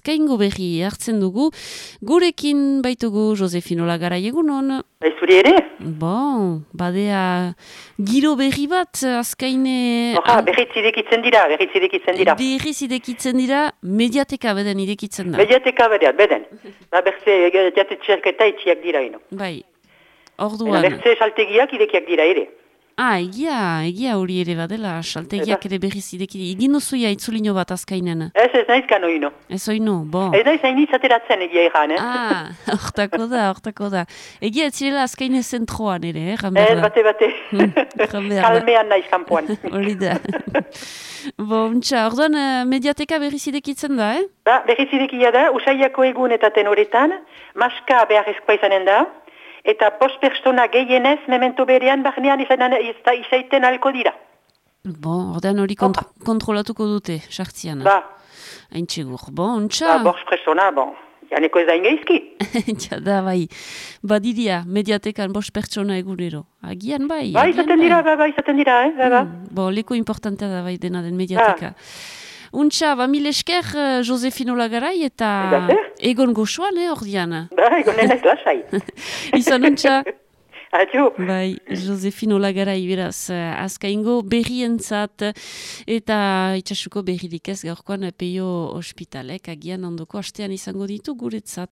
azkaingo berri hartzen dugu. Gurekin baitugu Josefino Lagarai, egunon. Zuri ere? Bon, badea giro berri bat azkaine... Berriz idekitzen dira. Berriz idekitzen dira, mediateka beden idekitzen da. Mediateka beden. Berze jatetxerketa itxiak dira ino. Bai, orduan... Berze saltegiak idekiak dira ere. Egia hori ere badela, saltegiak ere berriz ideki. Egin duzuia itzulino bat azkainen? Ez naiz kano ino. Ez oino, bon. Ez naiz hain izateratzen egia egan, Hortako da. Egia ez zirela azkaine zentroan ere, Ez bate. Kalmean naiz kanpoan. Hori da. Orduan mediateka berriz idekitzen da, Berriz idekia da, usaiako egun eta tenoretan, maska beharrezkoa izanen da, eta 5 pertsona gehienez, memento berean, barnean izaiten alko dira. Ordean hori kontrolatuko dute, sartzian. Hain txegur. Ontsa? 5 pertsona, janeko ez da ingeizki. Da, bai. Badiria, mediatekan 5 pertsona egunero. Agian bai. Izaten dira, Leko importantea da bai dena den mediateka. Untxa, mil esker Josefino Lagarai eta egon goxoan, ordian. Egonen ez lasai. Izan untxa. Adio. Bai, Josefino Lagarai beraz, azkaingo berrientzat eta itxasuko berririk ez gaurkoan Peio Hospitalek agian ondoko astean izango ditu guretzat.